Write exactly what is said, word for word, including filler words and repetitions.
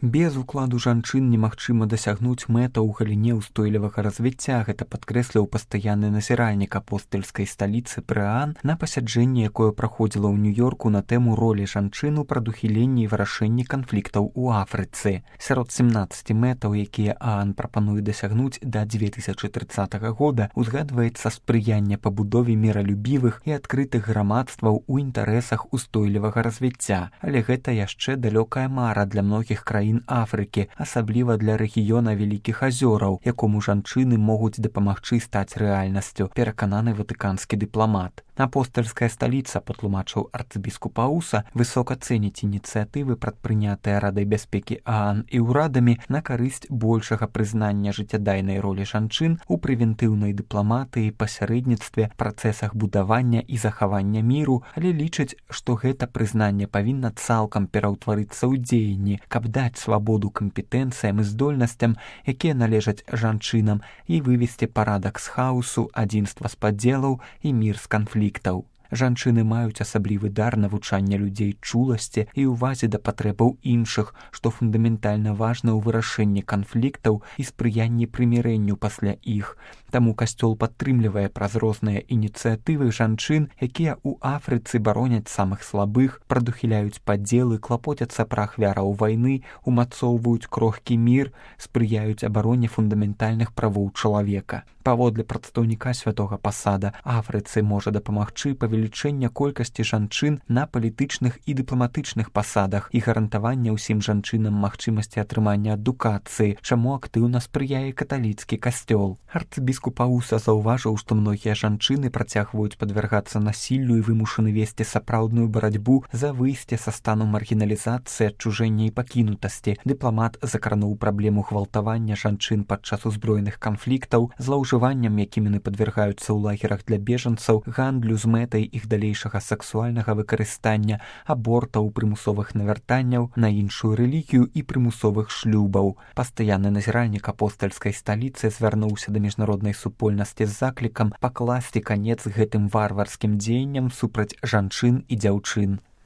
Без укладу жанчын немагчыма дасягнуць мэта ў галіне ўстойлівага развіцця, гэта падкрэсліў пастаянны назіральнік апостальскай сталіцы Прыаан на пасяджэнні, якое праходзіла ў Нью-Йорку на тэму ролі жанчын у прадухіленні і вырашэнні канфліктаў у Афрыцы. Сярод сямнаццаці мэтаў, якія Аан прапануе дасягнуць да дзве тысячы трыццатага года, узгадваецца спрыянне пабудове міралюбівых і адкрытых грамадстваў у інтарэсах устойлівага развіцця. Але гэта яшчэ далёкая мара для многіх краін Афрыкі, асабліва для рэгіёна Вялікіх азёраў, якому жанчыны могуць дапамагчы стаць рэальнасцю, перакананы ватыканскі дыпламат. Апостальская сталіца, патлумачыў арцыбіскуп Ауса, высока цэніць ініцыятывы, прадпрынятыя Радай бяспекі Аан і ўрадамі на карысць большага прызнання жыццядайнай ролі жанчын у прэвентыўнай дыпламатыі, пасярэдніцтве, працэсах будавання і захавання міру, але лічыць, што гэта прызнанне павінна цалкам пераўтварыцца ў дзеянні, каб даць свабоду кампетэнцыям і здольнасцям, якія належаць жанчынам, і вывесці парадак з хаосу, адзінства з падзелаў і мір з канфліктаў. Жанчыны маюць асаблівы дар навучання людзей чуласці і ўвазе да патрэбаў іншых, што фундаментальна важна ў вырашэнні канфліктаў і спрыянні прымірэнню пасля іх. Таму касцёл падтрымлівае праз розныя ініцыятывы жанчын, якія ў Афрыцы бароняць самых слабых, прадухіляюць падзелы, клапоцяцца пра ахвяраў вайны, умацоўваюць крохкі мір, спрыяюць абароне фундаментальных правоў чалавека. Паводле прадстаўніка святога пасада, Афрыцы можа дапамагчы павелічэння колькасці жанчын на палітычных і дыпламатычных пасадах і гарантавання ўсім жанчынам магчымасці атрымання адукацыі, чаму актыўна спрыяе каталіцкі касцёл. Арцыбіскуп Ауса заўважыў, што многія жанчыны працягваюць падвяргацца насіллю і вымушаны весці сапраўдную барацьбу за выйсце са стану маргіналізацыі, адчужэння і пакінутасці. Дыпламат закрануў праблему гвалтавання жанчын падчас узброеных канфліктаў, злоўжыванням, якім яны падвяргаюцца ў лагерах для бежанцаў, гандлю з мэтай іх далейшага сексуальнага выкарыстання, абортаў, прымусовых навяртанняў на іншую рэлігію і прымусовых шлюбаў. Пастаянны назіральнік апостальскай сталіцы звярнуўся да міжнароднай супольнасці з заклікам пакласці канец гэтым варварскім дзеянням супраць жанчын і дзяўчын.